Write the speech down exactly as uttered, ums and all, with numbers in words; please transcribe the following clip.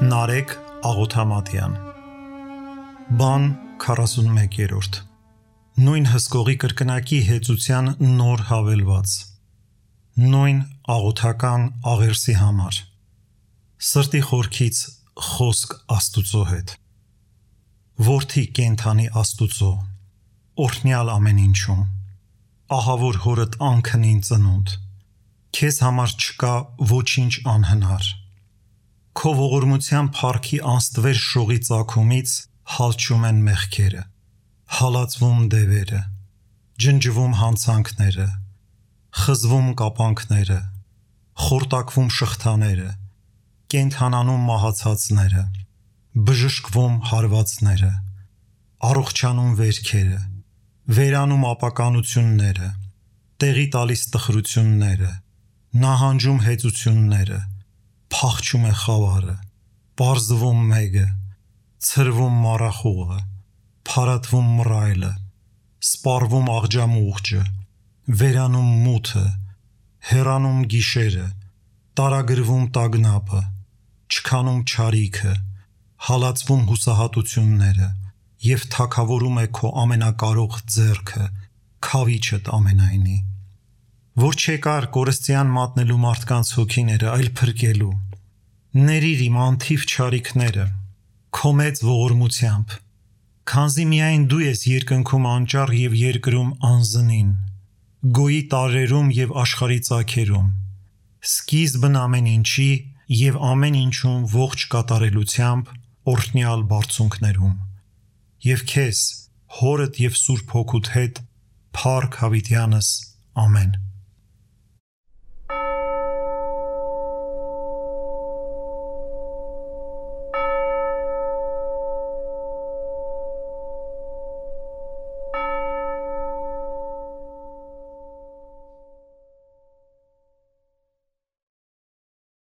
Նարեկ Աղոթամատյան Բան քառասունմեկերորդ Նույն հսկողի կրկնակի հեծության նոր հավելված Նույն աղոթական աղերսի համար Սրտի խորքից խոսք Աստուծո հետ Որդի կենդանի Աստուծո Օրհնյալ ամեն ինչում Ահավոր հորդ անքնին ծնունդ Քեզ համար չկա ոչինչ անհնար Քո ողորմության փառքի անստվեր շողի ծագումից հալչում են մեղքերը, հալածվում դևերը, ջնջվում հանցանքները, խզվում կապանքները, խորտակվում շղթաները, կենդանանում մահացածները, բժշկվում հարվածները, առողջանում վերքերը, վերանում ապականությունները, տեղի տալիս տխրությունները, նահանջում հեծությունները, փախչում է խավարը, պարզվում մեգը, ցրվում մառախուղը, փարատվում մռայլը, սպառվում աղջամուղջը, վերանում մութը, հեռանում գիշերը, տարագրվում տագնապը, չքանում չարիքը, հալածվում հուսահատությունները և թագավորում է քո ամենակարող ձեռքը, քավիչդ ամենայնի, որ չեկար կորստյան մատնելու մարդկանց հոգիները, այլ փրկելու, ներիր իմ անթիվ չարիքները, քո մեծ ողորմությամբ, քանզի միայն դու ես երկնքում անճառ և երկրում անզնին, գոյի տարրերում և աշխարհի ծագերում, սկիզբն ամեն ինչի և ամեն ինչում ողջ կատարելությամբ օրհնյալ բարձունքներում, և քեզ, հորդ և Սուրբ Հոգուդ հետ, փառք հավիտյանս, ամեն։